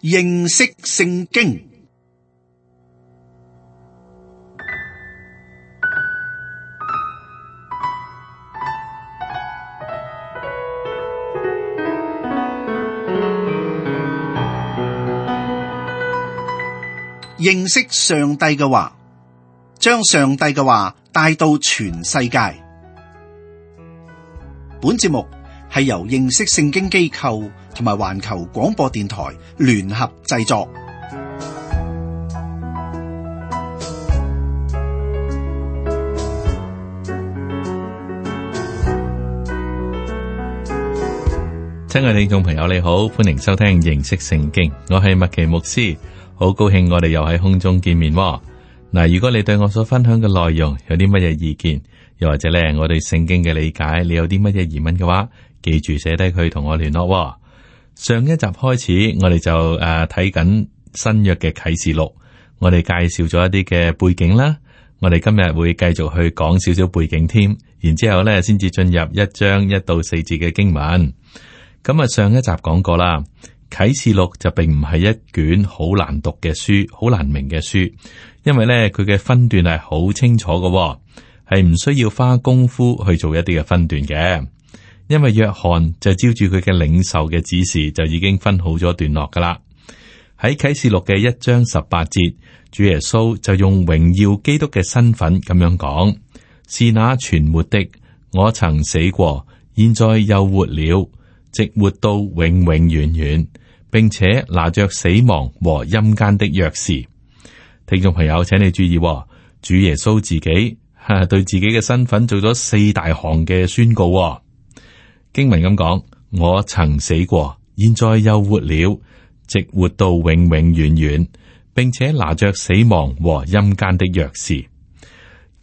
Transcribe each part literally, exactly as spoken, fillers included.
認識聖經。認識上帝嘅話，將上帝嘅話帶到全世界。本節目係由認識聖經機構同埋環球廣播電台聯合製作。親愛聽眾朋友，你好，歡迎收聽認識聖經，我係麥奇牧師。好高興我哋又喺空中見面喎。嗱，如果你對我所分享嘅內容有啲乜嘢意見，又或者咧我對聖經嘅理解，你有啲乜嘢疑問嘅話，記住寫低佢同我聯絡喎。上一集開始，我哋就誒睇緊新約嘅啟示錄，我哋介紹咗一啲嘅背景啦。我哋今日會繼續去講少少背景添，然之後咧先至進入一章一到四節嘅經文。咁啊，上一集講過啦。啟示錄就並唔係一卷好難讀嘅書，好難明嘅書，因為咧佢嘅分段係好清楚嘅，係唔需要花功夫去做一啲嘅分段嘅。因為約翰就照住佢嘅領受嘅指示，就已經分好咗段落噶啦。喺啟示錄嘅一章十八節，主耶穌就用榮耀基督嘅身份咁樣講：是那存活的，我曾死過，現在又活了，直活到永永遠遠，並且拿着死亡和陰間的鑰匙。聽眾朋友，請你注意，主耶穌自己吓對自己嘅身份做咗四大項嘅宣告。經文咁講：我曾死過，現在又活了，直活到永永遠遠，並且拿着死亡和陰間的鑰匙。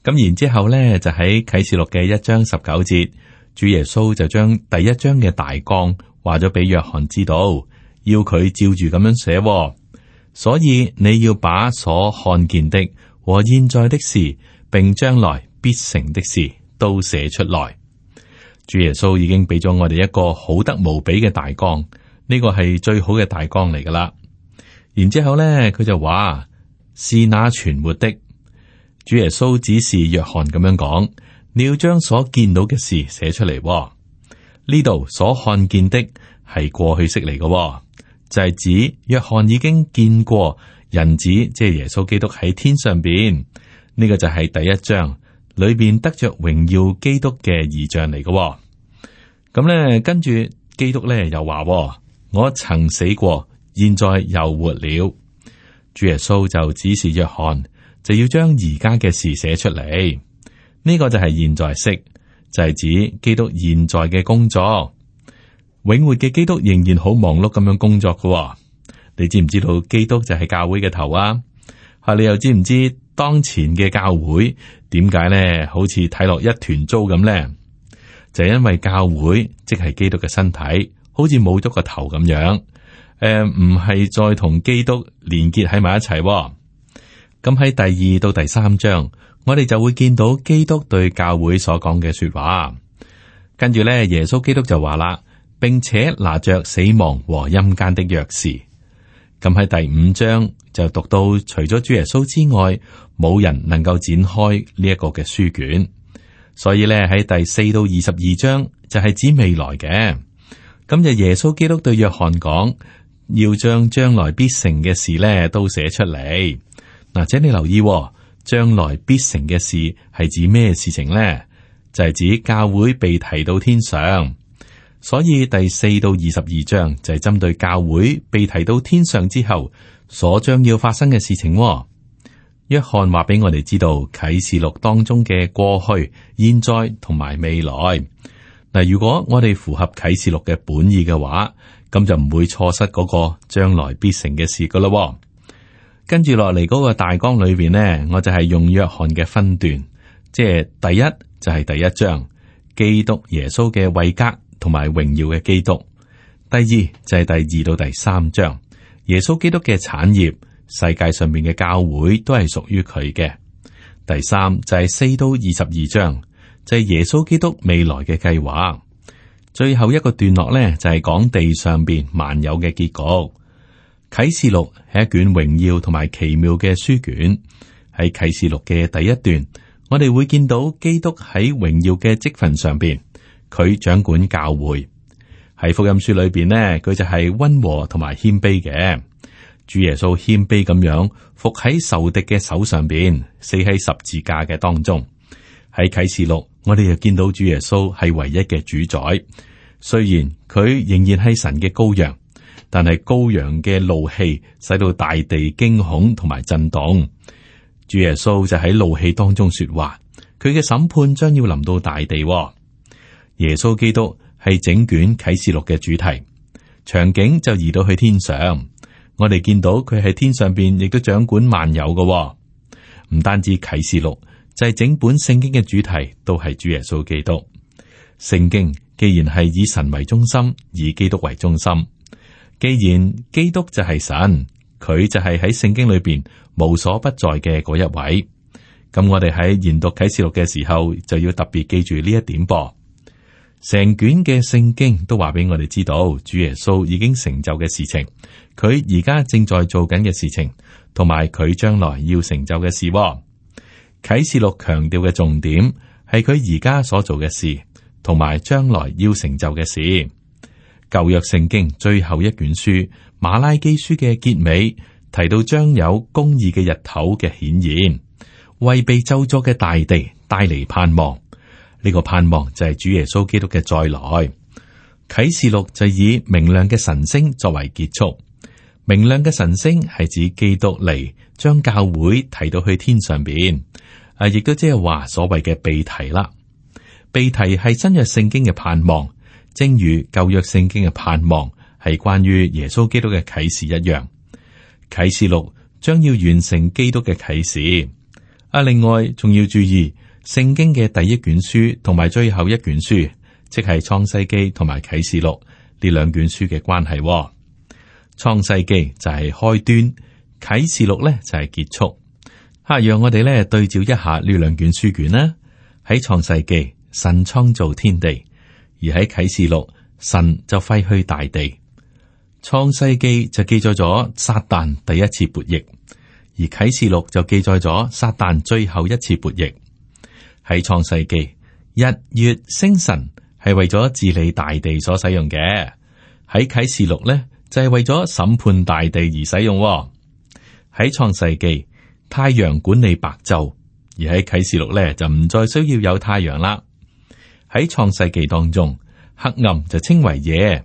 咁然之後咧，就喺啟示錄嘅一章十九節。主耶穌就將第一章嘅大綱話咗俾約翰知道，要佢照住咁樣寫，所以你要把所看見的和現在的事，並將來必成的事都寫出來。主耶穌已經俾咗我哋一個好得無比嘅大綱，呢個係最好嘅大綱嚟噶啦。然之後咧，佢就話是那存活的。主耶穌指示約翰咁樣講。你要將所見到嘅事寫出嚟。呢度所看見的係過去式嚟嘅，就係、是、指約翰已經見過人子，即係耶穌基督喺天上邊。呢、這個就係第一章裏邊得着榮耀基督嘅異象嚟嘅。咁咧，跟住基督咧又話：我曾死過，現在又活了。主耶穌就指示約翰，就要將而家嘅事寫出嚟。呢個就係現在式，就係、是、指基督現在嘅工作。永活嘅基督仍然好忙碌咁樣工作嘅、哦。你知唔知道基督就係教會嘅頭啊？吓，你又知唔知當前嘅教會點解咧？好似睇落一團糟咁咧，就係、是、因為教會即係基督嘅身體，好似冇咗個頭咁樣。誒、呃，唔係再同基督連結喺埋一齊、哦。咁喺第二到第三章。我哋就會見到基督對教會所講嘅說話，跟住咧，耶穌基督就話啦，並且拿着死亡和陰間的鑰匙。咁喺第五章就讀到，除咗主耶穌之外，冇人能夠展開呢一個嘅書卷。所以咧，喺第四到二十二章就係指未來嘅。咁就耶穌基督對約翰講，要將將來必成嘅事咧都寫出嚟。嗱，請你留意。將來必成嘅事係指咩事情呢？就係、是、指教會被提到天上，所以第四到二十二章就係針對教會被提到天上之後所將要發生嘅事情。約翰話俾我哋知道啟示錄當中嘅過去、現在同埋未來。嗱，如果我哋符合啟示錄嘅本意嘅話，咁就唔會錯失嗰個將來必成嘅事噶啦。跟住落嚟嗰個大綱裏邊呢，我就係用約翰嘅分段，即係第一就係第一章基督耶穌嘅位格同埋榮耀嘅基督，第二就係第二到第三章耶穌基督嘅產業，世界上面嘅教會都係屬於佢嘅。第三就係四到二十二章，就係耶穌基督未來嘅計劃。最後一個段落呢，就係講地上邊萬有嘅結局。啟示錄係一卷榮耀同埋奇妙嘅書卷。喺啟示錄嘅第一段，我哋會見到基督喺榮耀嘅職份上邊，佢掌管教會。喺福音書裏邊呢，佢就係溫和同埋謙卑嘅。主耶穌謙卑咁樣伏喺仇敵嘅手上邊，死喺十字架嘅當中。喺啟示錄，我哋又見到主耶穌係唯一嘅主宰。雖然佢仍然係神嘅羔羊，但係羔羊嘅怒氣使到大地驚恐同埋震動。主耶穌就喺怒氣當中說話，佢嘅審判將要臨到大地。耶穌基督係整卷啟示錄嘅主題，場景就移到去天上。我哋見到佢喺天上邊，亦都掌管萬有嘅。唔單止啟示錄，就係整本聖經嘅主題都係主耶穌基督。聖經既然係以神為中心，以基督為中心，既然基督就係神，佢就係喺聖經裏邊無所不在嘅嗰一位。咁我哋喺研讀啟示錄嘅時候，就要特別記住呢一點噃。成卷嘅聖經都話俾我哋知道，主耶穌已經成就嘅事情，佢而家正在做緊嘅事情，同埋佢將來要成就嘅事。啟示錄強調嘅重點係佢而家所做嘅事，同埋將來要成就嘅事。舊約聖經最後一卷書馬拉基書嘅結尾提到，將有公義嘅日頭嘅顯現，為被咒詛嘅大地帶嚟盼望。呢個盼望就係主耶穌基督嘅再來。啟示錄就以明亮嘅晨星作為結束。明亮嘅晨星係指基督嚟將教會提到去天上邊，啊，亦都即係話所謂嘅被提啦。被提係新約聖經嘅盼望，正如舊約聖經嘅盼望係關於耶穌基督嘅啟示一樣。啟示錄將要完成基督嘅啟示。啊，另外仲要注意。聖經嘅第一卷書同埋最後一卷書，即係創世記同埋啟示錄呢兩卷書嘅關係。創世記就係開端，啟示錄咧就係結束。吓，讓我哋咧對照一下呢兩卷書卷啦。喺創世記，神創造天地；而喺啟示錄，神就廢去大地。創世記就記載咗撒旦第一次悖逆，而啟示錄就記載咗撒旦最後一次悖逆。喺創世記，日月星辰係為咗治理大地所使用嘅；喺啟示錄咧就係為咗審判大地而使用。喺創世記，太陽管理白晝，而喺啟示錄咧就唔再需要有太陽啦。喺創世記當中，黑暗就稱為夜，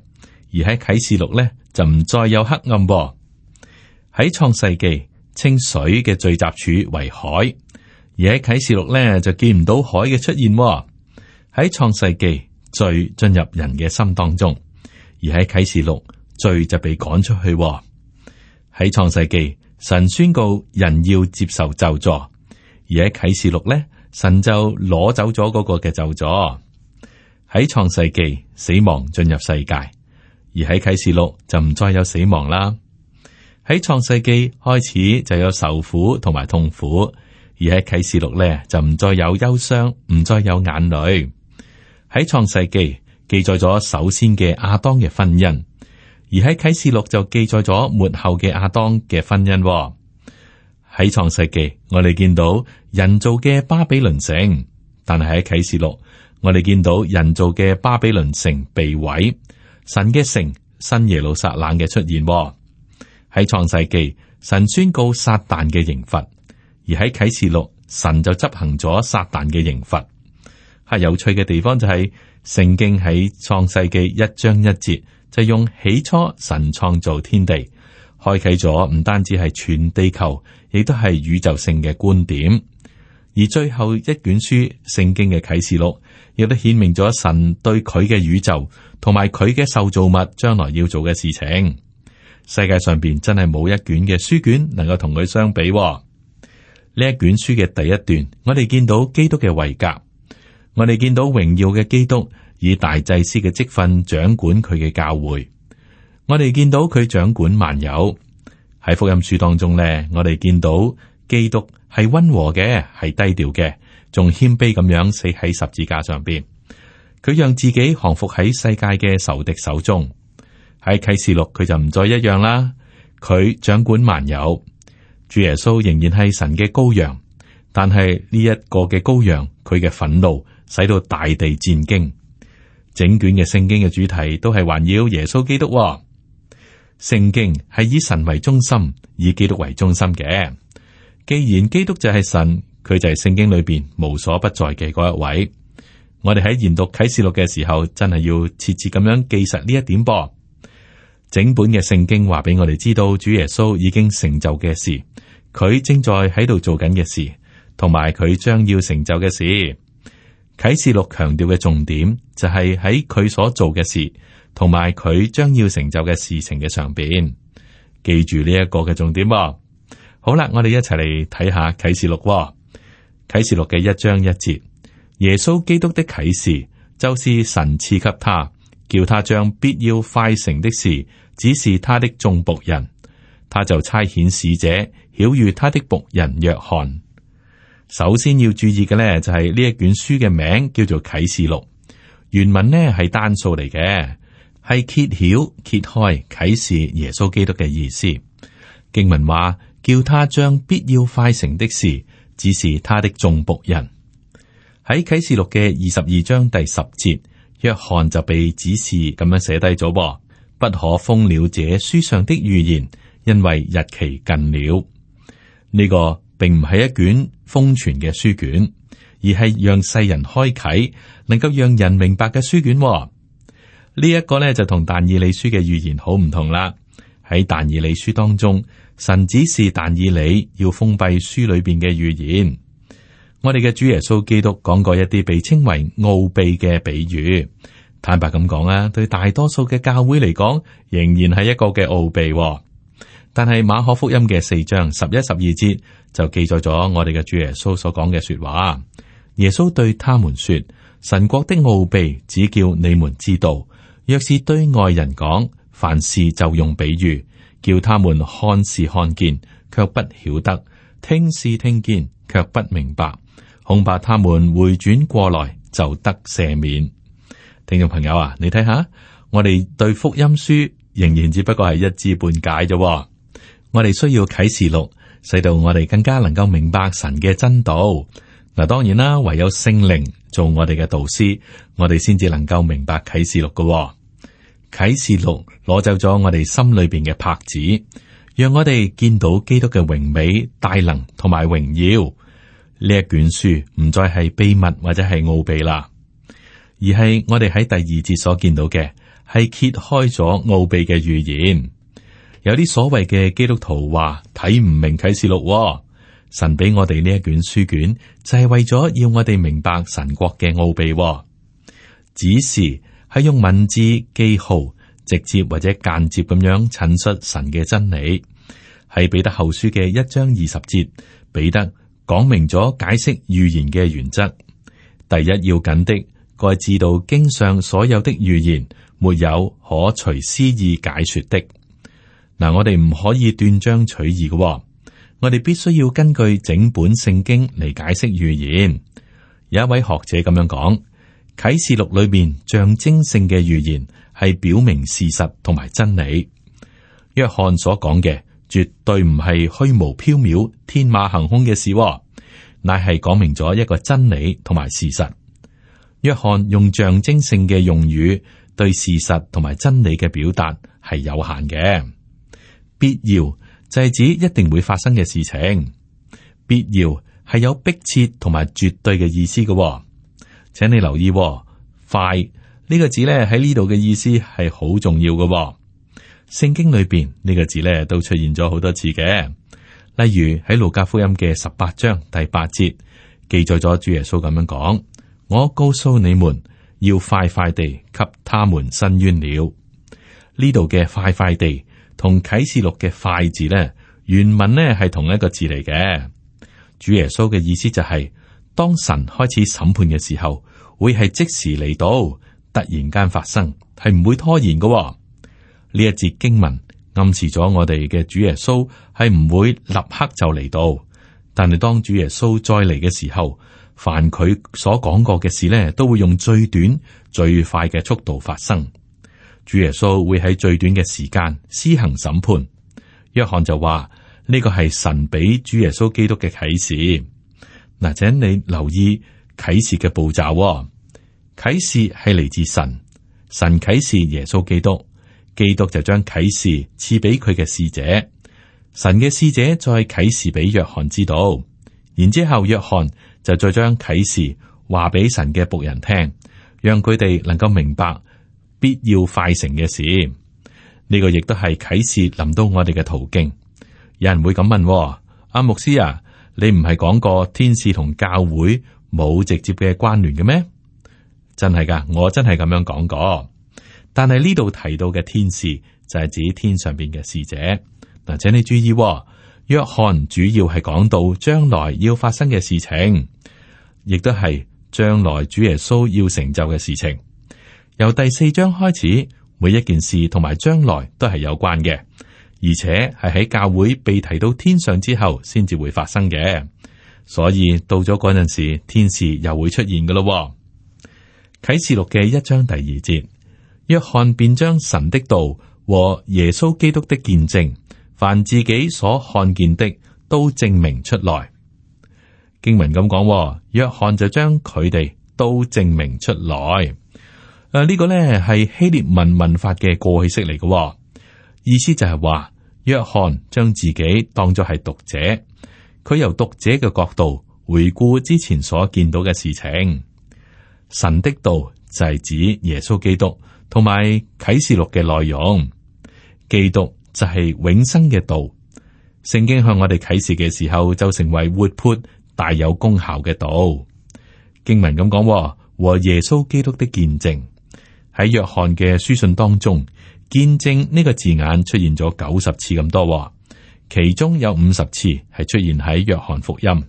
而喺啟示錄咧就唔再有黑暗。喺創世記，稱水嘅聚集處為海。而喺啟示錄咧就見唔到海嘅出現。喺創世記，罪進入人嘅心當中，而喺啟示錄，罪就被趕出去。喺創世記，神宣告人要接受咒詛，而喺啟示錄咧，神就攞走咗嗰個嘅咒詛。喺創世記，死亡進入世界，而喺啟示錄就唔再有死亡啦。喺創世記開始就有受苦同埋痛苦。而喺啟示錄咧就唔再有憂傷，唔再有眼淚。喺創世記記載咗首先嘅亞當嘅婚姻，而喺啟示錄就記載咗末後嘅亞當嘅婚姻。喺創世記我哋見到人造嘅巴比倫城，但係喺啟示錄我哋見到人造嘅巴比倫城被毀，神嘅城新耶路撒冷嘅出現。喺創世記神宣告撒旦嘅刑罰。而喺啟示錄，神就執行咗撒旦嘅刑罰。係有趣嘅地方就係、是、聖經喺創世記一章一節就用起初神創造天地，開啟咗唔單止係全地球，亦都係宇宙性嘅觀點。而最後一卷書聖經嘅啟示錄，亦都顯明咗神對佢嘅宇宙同埋佢嘅受造物將來要做嘅事情。世界上邊真係冇一卷嘅書卷能夠同佢相比。呢一卷書嘅第一段，我哋見到基督嘅位格，我哋見到榮耀嘅基督以大祭司嘅職分掌管佢嘅教會，我哋見到佢掌管萬有。喺福音書當中咧，我哋見到基督係溫和嘅，係低調嘅，仲謙卑咁樣死喺十字架上邊。佢讓自己降服喺世界嘅仇敵手中。喺啟示錄佢就唔再一樣啦，佢掌管萬有。主耶穌仍然係神嘅羔羊，但係呢一個嘅羔羊，佢嘅憤怒使到大地戰驚。整卷嘅聖經嘅主題都係環繞耶穌基督喎。聖經係以神為中心，以基督為中心嘅。既然基督就係神，佢就係聖經裏邊無所不在嘅嗰一位。我哋喺研讀啟示錄嘅時候，真係要切切咁樣記實呢一點噃。整本嘅聖經話俾我哋知道，主耶穌已經成就嘅事，佢正在喺度做緊嘅事，同埋佢將要成就嘅事。啟示錄強調嘅重點就係喺佢所做嘅事，同埋佢將要成就嘅事情嘅上邊。記住呢一個嘅重點喎。好啦，我哋一齊嚟睇下啟示錄喎。啟示錄嘅一章一節，耶穌基督的啟示就是神賜給他，叫他將必要快成的事指示他的眾僕人。他就差遣使者曉諭他的僕人約翰。首先要注意嘅呢，就係呢一卷書嘅名叫做啟示錄，原文呢係單數嚟嘅，係揭曉揭開啟示耶穌基督嘅意思。經文話叫他將必要快成的事指示他的眾僕人。喺啟示錄嘅二十二章第十節，約翰就被指示咁樣寫低咗，不可封了這書上的預言，因為日期近了。呢、這個並唔係一卷封存嘅書卷，而係讓世人開啟，能夠讓人明白嘅書卷。呢、這、一個呢，就同但以理書嘅預言好唔同啦。喺但以理書當中，神指示但以理要封閉書裏邊嘅預言。我哋嘅主耶穌基督講過一啲被稱為奧秘嘅比喻。坦白咁講啊，對大多數嘅教會嚟講，仍然係一個嘅奧秘。但係馬可福音嘅四章十一、十二節就記載咗我哋嘅主耶穌所講嘅說話。耶穌對他們說：神國的奧秘只叫你們知道，若是對外人講，凡事就用比喻，叫他們看是看見，卻不曉得；聽是聽見，卻不明白。恐怕他們回轉過來就得赦免。聽眾朋友啊，你睇下，我哋對福音書仍然只不過係一知半解啫。我哋需要啟示錄，使到我哋更加能夠明白神嘅真道。嗱，當然啦，唯有聖靈做我哋嘅導師，我哋先至能夠明白啟示錄嘅。啟示錄攞走咗我哋心裏邊嘅帕子，讓我哋見到基督嘅榮美、大能同埋榮耀。呢一卷書唔再係秘密或者係奧秘啦，而係我哋喺第二節所見到嘅係揭開咗奧秘嘅預言。有啲所謂嘅基督徒話睇唔明啟示錄喎，神俾我哋呢一卷書卷就係為咗要我哋明白神國嘅奧秘喎。指示係用文字記號直接或者間接咁樣陳述神嘅真理。喺彼得後書嘅一章二十節，彼得講明咗解釋預言嘅原則。第一要緊的，該知道經上所有的預言，沒有可隨私意解說的。嗱，我哋唔可以斷章取義嘅、哦，我哋必須要根據整本聖經嚟解釋預言。有一位學者咁樣講，啟示錄裏面象徵性嘅預言係表明事實同埋真理。約翰所講嘅絕對唔係虛無縹緲、天馬行空嘅事、哦，乃係講明咗一個真理同埋事實。約翰用象徵性嘅用語對事實同埋真理嘅表達係有限嘅。必要就係指一定會發生嘅事情，必要係有迫切同埋絕對嘅意思嘅、哦。請你留意、哦，快呢、這個字咧喺呢度嘅意思係好重要嘅、哦。聖經裏邊呢、這個字咧都出現咗好多次嘅，例如喺路加福音嘅十八章第八節記載咗主耶穌咁樣講：我告訴你們，要快快地給他們伸冤了。呢度嘅快快地。同啟示錄嘅快字咧，原文咧係同一個字嚟嘅。主耶穌嘅意思就係、是，當神開始審判嘅時候，會係即時嚟到，突然間發生，係唔會拖延嘅、哦。呢一節經文暗示咗我哋嘅主耶穌係唔會立刻就嚟到，但係當主耶穌再嚟嘅時候，凡佢所講過嘅事咧，都會用最短、最快嘅速度發生。主耶穌會喺最短嘅時間施行審判，約翰就話呢個係神俾主耶穌基督嘅啟示。嗱，請你留意啟示嘅步驟喎。啟示係嚟自神，神啟示耶穌基督，基督就將啟示賜俾佢嘅使者，神嘅使者再啟示俾約翰知道，然之後約翰就再將啟示話俾神嘅僕人聽，讓佢哋能夠明白必要快成嘅事。呢、這個亦都係啟示臨到我哋嘅途徑。有人會咁問、哦：阿、啊、牧師啊，你唔係講過天使同教會冇直接嘅關聯嘅咩？真係噶，我真係咁樣講過。但係呢度提到嘅天使就係指天上邊嘅使者。嗱，請你注意、哦，約翰主要係講到將來要發生嘅事情，亦都係將來主耶穌要成就嘅事情。由第四章開始，每一件事同埋將來都係有關嘅，而且係喺教會被提到天上之後先至會發生嘅。所以到咗嗰陣時，天使又會出現噶咯。啟示錄嘅一章第二節，約翰便將神的道和耶穌基督的見證，凡自己所看見的，都證明出來。經文咁講，約翰就將佢哋都證明出來。誒、啊，呢、這個呢係希臘文文法嘅過去式嚟嘅，意思就係話約翰將自己當作係讀者，佢由讀者嘅角度回顧之前所見到嘅事情。神的道就係指耶穌基督，同埋啟示錄嘅內容。基督就係永生嘅道。聖經向我哋啟示嘅時候，就成為活潑大有功效嘅道。經文咁講，和耶穌基督的見證。喺約翰嘅書信當中，見證呢個字眼出現咗九十次咁多，其中有五十次係出現喺約翰福音。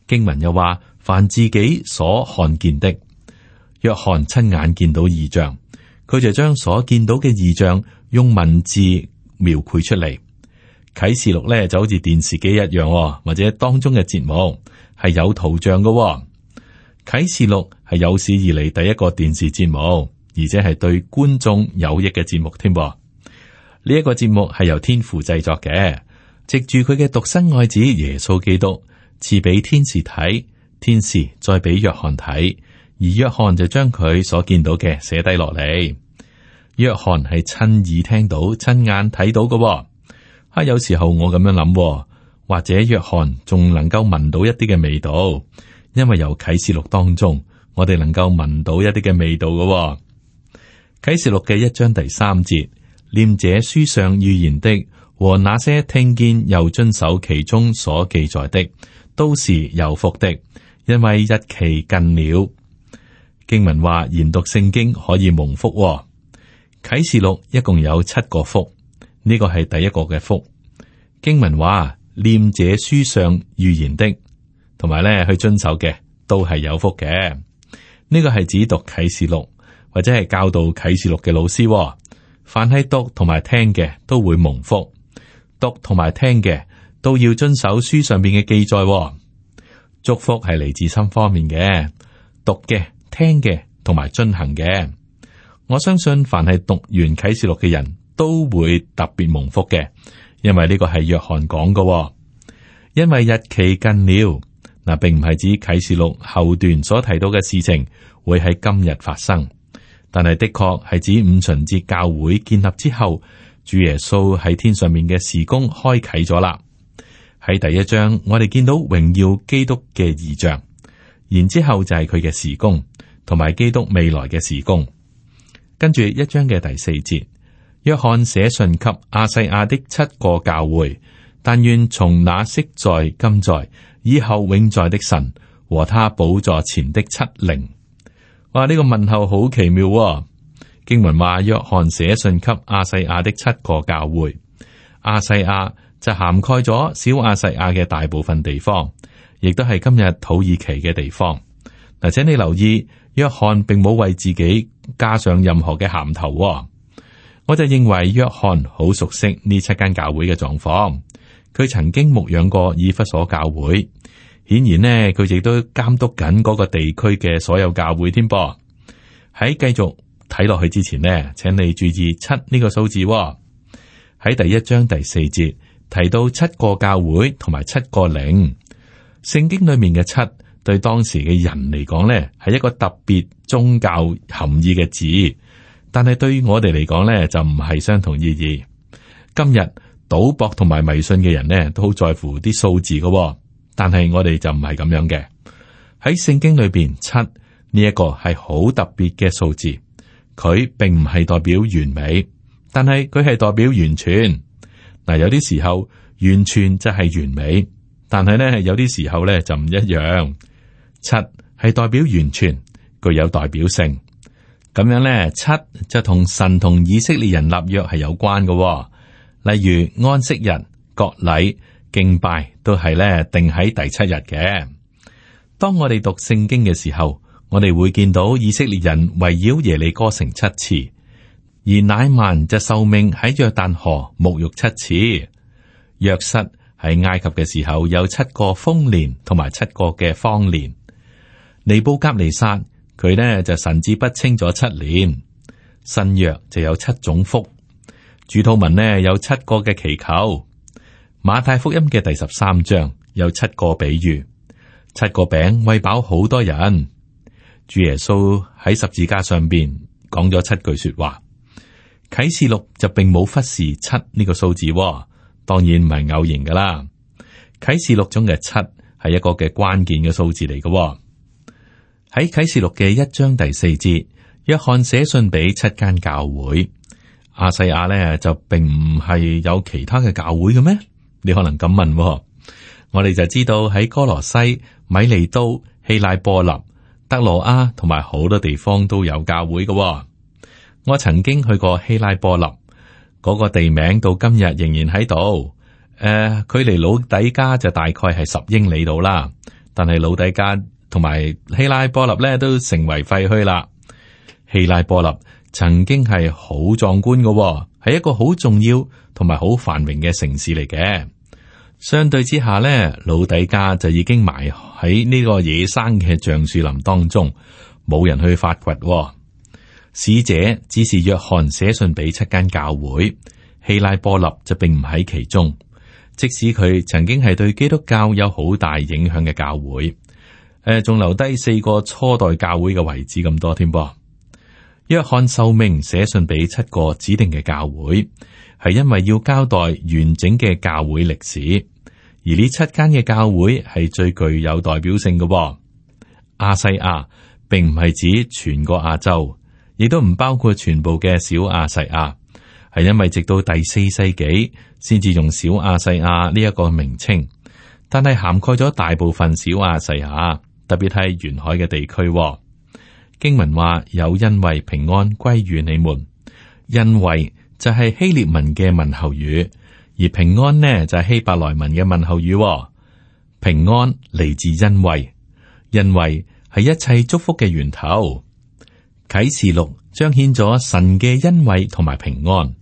經文又話，凡自己所看見的，約翰親眼見到異象，佢就將所見到嘅異象用文字描繪出嚟。啟示錄咧就好似電視機一樣，或者當中嘅節目係有圖像嘅。啟示錄係有史以嚟第一個電視節目，而且係對觀眾有益嘅節目添。呢一個節目係由天父製作嘅，藉住佢嘅獨生愛子耶穌基督賜俾天使睇，天使再俾約翰睇，而約翰就將佢所見到嘅寫低落嚟。約翰係親耳聽到、親眼睇到嘅。啊，有時候我咁樣諗，或者約翰仲能夠聞到一啲嘅味道，因為由啟示錄當中，我哋能夠聞到一啲嘅味道嘅。啟示錄嘅一章第三節，念這書上預言的和那些聽見又遵守其中所記載的，都是有福的，因為日期近了。經文話研讀聖經可以蒙福。啟示錄一共有七個福。呢個係第一個嘅福。經文話念這書上預言的，同埋咧去遵守嘅，都係有福嘅。呢個係指讀啟示錄或者係教導啟示錄嘅老師。凡係讀同埋聽嘅都會蒙福。讀同埋聽嘅都要遵守書上邊嘅記載。祝福係嚟自三方面嘅，讀嘅、聽嘅同埋遵行嘅。我相信凡係讀完啟示錄嘅人，都會特別蒙福嘅，因為呢個係約翰講嘅。因為日期近了，嗱，並唔係指啟示錄後段所提到嘅事情會喺今日發生，但係的確係指五旬節教會建立之後，主耶穌喺天上面嘅事工開啟咗啦。喺第一章，我哋見到榮耀基督嘅異象，然之後就係佢嘅事工，同埋基督未來嘅事工。跟住一章嘅第四節。約翰寫信給亞細亞的七個教會，但願從那昔在、今在、以後永在的神和他寶座前的七靈。哇！呢、這個問候好奇妙、哦。經文話約翰寫信給亞細亞的七個教會，亞細亞就涵蓋咗小亞細亞嘅大部分地方，亦都係今日土耳其嘅地方。嗱，請你留意，約翰並冇為自己加上任何嘅銜頭、哦。我就認為約翰好熟悉呢七間教會嘅狀況，佢曾經牧養過以弗所教會，顯然呢佢亦都監督緊嗰個地區嘅所有教會添噃。喺繼續睇落去之前呢，請你注意七呢個數字喎。喺第一章第四節提到七個教會同埋七個靈。聖經裏面嘅七對當時嘅人嚟講呢，係一個特別宗教含義嘅字，但係對於我哋嚟講呢，就唔係相同意義。今日賭博同埋迷信嘅人呢，都好在乎啲數字嘅，但係我哋就唔係咁樣嘅。喺聖經裏邊，七呢一個係好特別嘅數字，佢並唔係代表完美，但係佢係代表完全。嗱，有啲時候完全就係完美，但係呢，有啲時候呢就唔一樣。七係代表完全，具有代表性。咁樣呢，七就同神同以色列人立約係有關嘅。例如安息日、割禮、敬拜都係咧定喺第七日嘅。當我哋讀聖經嘅時候，我哋會見到以色列人圍繞耶利哥城七次，而乃曼就受命喺約旦河沐浴七次。約瑟喺埃及嘅時候有七個豐年同埋七個嘅荒年。尼布甲尼撒佢呢就神志不清咗七年。新約就有七種福。主禱文呢有七個嘅祈求。馬太福音嘅第十三章有七個比喻，七個餅餵飽好多人。主耶穌喺十字架上邊講咗七句說話。啟示錄就並冇忽視七呢個數字，當然唔係偶然噶啦。啟示錄中嘅七係一個嘅關鍵嘅數字嚟嘅。喺啟示錄嘅一章第四節，約翰寫信俾七間教會。亞細亞咧就並唔係有其他嘅教會嘅咩？你可能咁問，我哋就知道喺哥羅西、米利都、希拉波立、德羅亞同埋好多地方都有教會嘅。我曾經去過希拉波立，嗰個地名到今日仍然喺度。誒、呃，距離老底加就大概係十英里度啦。但係老底加同埋希拉波立咧都成為廢墟啦。希拉波立曾經係好壯觀嘅，係一個好重要同埋好繁榮嘅城市嚟嘅。相對之下咧，老底加就已經埋喺呢個野生嘅橡樹林當中，冇人去發掘。使者只是約翰寫信俾七間教會，希拉波立就並唔喺其中。即使佢曾經係對基督教有好大影響嘅教會，誒、呃，仲留低四個初代教會嘅遺址咁多添噃。約翰受命寫信俾七個指定嘅教會，係因為要交代完整嘅教會歷史，而呢七間嘅教會係最具有代表性嘅。亞細亞並唔係指全個亞洲，亦都唔包括全部嘅小亞細亞，係因為直到第四世紀先至用小亞細亞呢一個名稱，但係涵蓋咗大部分小亞細亞，特別係沿海嘅地區。經文話有恩惠平安歸於你們，恩惠就係希臘文嘅問候語，而平安呢就係希伯來文嘅問候語。平安嚟自恩惠，恩惠係一切祝福嘅源頭。啟示錄彰顯咗神嘅恩惠同埋平安。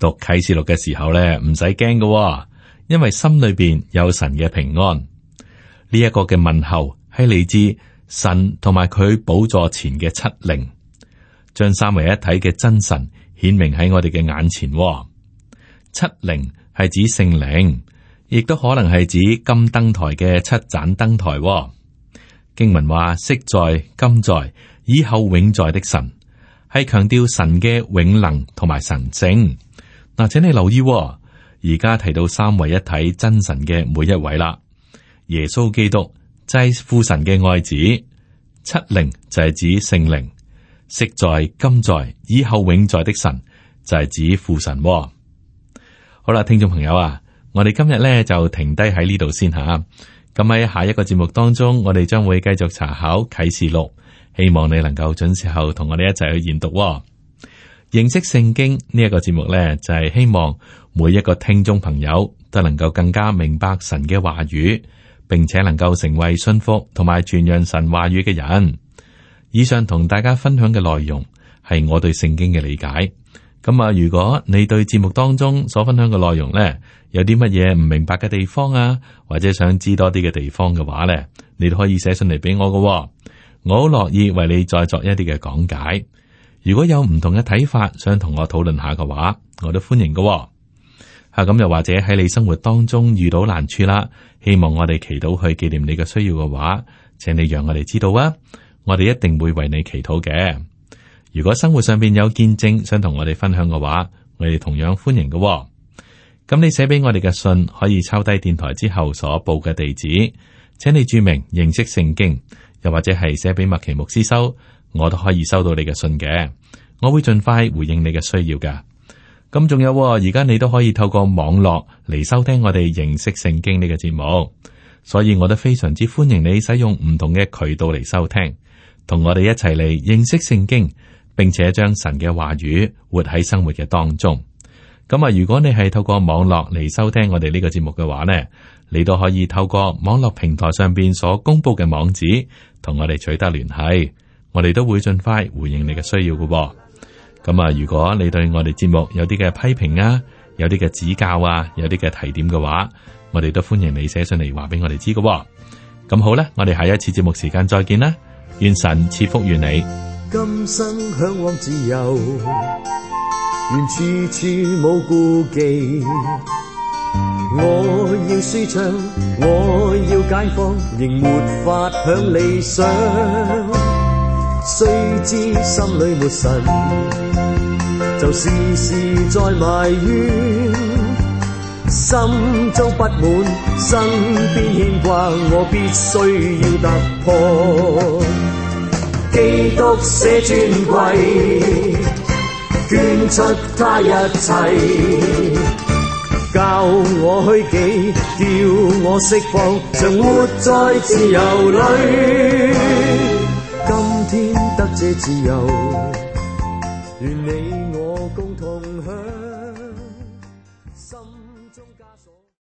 讀啟示錄嘅時候咧，唔使驚㗎，因為心裏邊有神嘅平安。呢、這、一個嘅問候係嚟自神同埋佢寶座前嘅七靈，將三位一體嘅真神顯明喺我哋嘅眼前。七靈係指聖靈，亦都可能係指金燈台嘅七盞燈台。經文話昔在、今在、以後永在的神，係強調神嘅永能同埋神聖。嗱，請你留意，而家提到三位一體真神嘅每一位啦，耶穌基督就係父神嘅愛子，七靈就係指聖靈，昔在、今在、以後永在的神就係指父神。好啦，聽眾朋友啊，我哋今日咧就停低喺呢度先吓。咁喺下一個節目當中，我哋將會繼續查考啟示錄，希望你能夠準時候同我哋一齊去研讀。認識聖經呢一個節目咧，就係希望每一個聽眾朋友都能夠更加明白神嘅話語，並且能夠成為信服同埋傳揚神話語嘅人。以上同大家分享嘅內容係我對聖經嘅理解。咁啊，如果你對節目當中所分享嘅內容咧，有啲乜嘢唔明白嘅地方啊，或者想知多啲嘅地方嘅話咧，你都可以寫信嚟俾我㗎喎。我好樂意為你再作一啲嘅講解。如果有唔同嘅睇法，想同我討論下嘅話，我都歡迎㗎喎。啊，咁又或者喺你生活當中遇到難處啦，希望我哋祈禱去紀念你嘅需要嘅話，請你讓我哋知道啊，我哋一定會為你祈禱嘅。如果生活上邊有見證想同我哋分享嘅話，我哋同樣歡迎嘅喎。咁你寫俾我哋嘅信可以抄低電台之後所報嘅地址，請你注明認識聖經，又或者係寫俾麥奇牧師收，我都可以收到你嘅信嘅。我會盡快回應你嘅需要噶。咁仲有，而家你都可以透過網絡嚟收聽我哋認識聖經呢個節目，所以我都非常之歡迎你使用唔同嘅渠道嚟收聽，同我哋一齊嚟認識聖經，並且將神嘅話語活喺生活嘅當中。咁啊，如果你係透過網絡嚟收聽我哋呢個節目嘅話呢，你都可以透過網絡平台上邊所公布嘅網址，同我哋取得聯繫，我哋都會盡快回應你嘅需要嘅。咁啊，如果你對我哋節目有啲嘅批評啊，有啲嘅指教啊，有啲嘅提點嘅話，我哋都歡迎你寫信嚟話俾我哋知嘅。咁好啦，我哋下一次節目時間再見啦，願神賜福於你。今生向往自由，願處處冇顧忌，我要舒暢，我要解放，仍沒法享理想，雖知心裏沒神，就事事在埋怨，心中不滿，身邊牽掛，我必須要突破。基督捨尊貴，捐出他一切，教我虛己，叫我釋放，常活在自由裏。今天得這自由，願你我共同